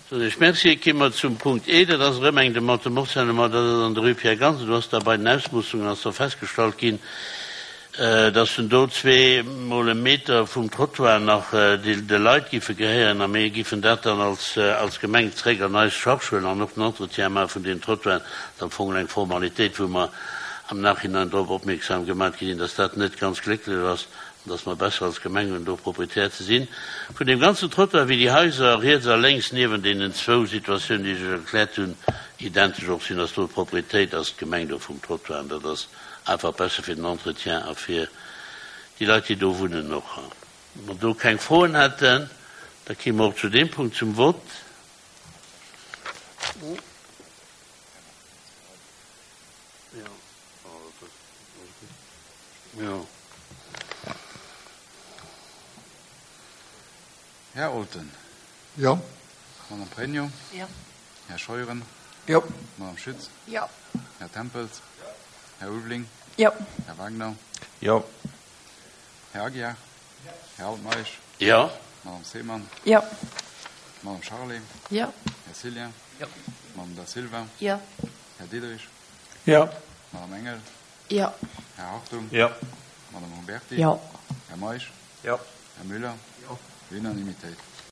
Soen ech Merci. Ki mer zum Punkt E, dat ass erëm eng Demande de morcellement, dat ass an der Rue Pierre Gansen. Do ass da bei den Ausmoossungen ass da festgestallt ginn, dass en do zweemol e Meter vum Trottoir nach de Leit giffe gehéieren a mir giffen dat dann als Gemeng zréck an eis Charge huelen an och den Entretien maache vun deenen Trottoiren. Dat ass am Fong eng Formalitéit, wou mer am Nachhinein drop opmierksam gemaat gi sinn, dass dat net ganz glécklech ass an dass mer besser als Gemeng hunn, do Proprietär ze sinn vun deem ganzen Trottoir, wéi déi Haiser riets a lénks niewent deenen zwou Situatiounen, déi ech Iech erkläert hunn, identesch och sinn, dass do d'Proprietéit ass, d'Gemeng do vum Trottoir. An dat ass Einfach besser fir den Entretien a fir déi Leit, déi do wunnen och. Wa mer do keng Froen hätten, da kéime mer och zu deem Punkt zum Vott. Här Olten. Jo. Madame Pregno. Jo. Här Scheuren. Jo. Madame Schütz. Jo. Här Tempels. Jo. Här Ulveling. Jo. Här Wagner. Jo. Här Aguiar. Jo. Här Altmeisch. Jo. Madame Seemann. Jo. Madame Charlé. Jo. Här Cillien. Jo. Madame Da Silva. Jo. Här Diderich. Jo. Madame Engel. Jo. Här Hartung. Jo. Madame Huberti. Jo. Här Meisch. Jo. Här Müller. Jo. Unanimitéit.